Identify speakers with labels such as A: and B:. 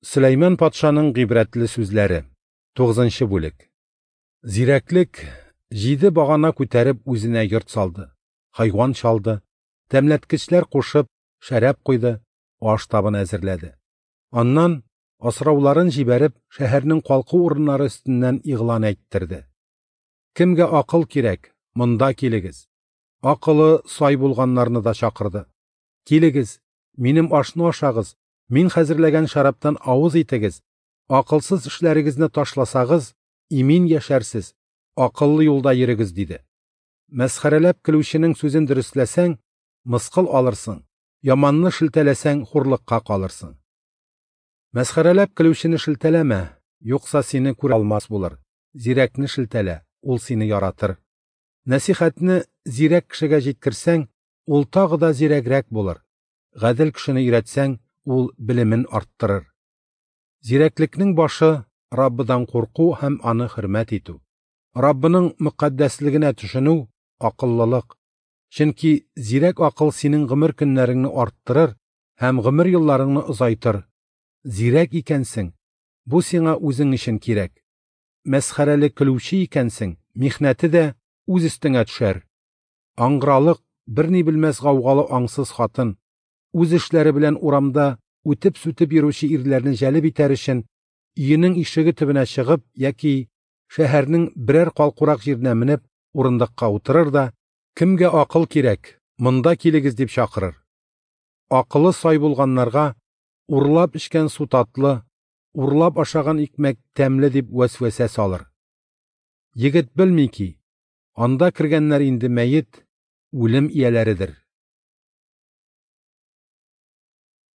A: Сөләйман патшаның гыйбрәтле сүзләре. 9 бүлек. Зирәклек җиде багана күтәреп үзенә йорт салды, хайван чалды, тәмләткечләр кушып, шәраб куйды, аш табыны әзерләде. Аннан, асрауларын җибәреп, шәһәрнең калку урыннары өстеннән игълан әйттерде. Кемгә акыл кирәк, монда килегез. Акылы сай булганнарны да чакырды. Килегез, минем ашны ашагыз, мин хәзерләгән шәрабтан авыз итегез, акылсыз эшләрегезне ташласагыз, имин яшәрсез, акыллы юлда йөрегез, диде. Мәсхәрәләп көлүченең сүзен дөресләсәң, мыскыл алырсың, яманны шелтәләсәң, хурлыкка калырсың. Мәсхәрәләп көлүчене шелтәләмә, юкса сине күрә алмас булыр. Зирәкне шелтәлә, ул сине яратыр. Нәсихәтне зирәк кешегә җиткерсәң, ул тагы да зирәгрәк булыр. Гадел кешене өйрәтсәң, ул белемен арттырыр. Зирәклекнең башы Раббыдан курку һәм аны хөрмәт итү. Раббының мөкатдәслегенә төшенү акыллылык. Чөнки зирәк акыл синең гомер көннәреңне арттырыр һәм гомер елларыңны озайтыр. Зирәк икәнсең, бу сиңа үзең өчен кирәк. Мәсхәрәле көлүче икәнсең, михнәте дә үз өстеңә төшәр. Аңгыралык, берни белмәс гаугалы аңсыз хатын, үз эшләре белән урамда үтеп-сүтеп йөрүче ирләрне җәлеп итәр өчен, өенең ишеге төбенә чыгып яки шәһәрнең берәр калкурак җиренә менеп, урындыкка утырыр да, кемгә акыл кирәк, монда килегез дип чакырыр. Акылы сай булганнарга урлап эчкән су татлы, урлап ашаган икмәк тәмле дип вәсвәсә салыр. Егет белми ки, анда кергәннәр инде мәет, үлем ияләредер.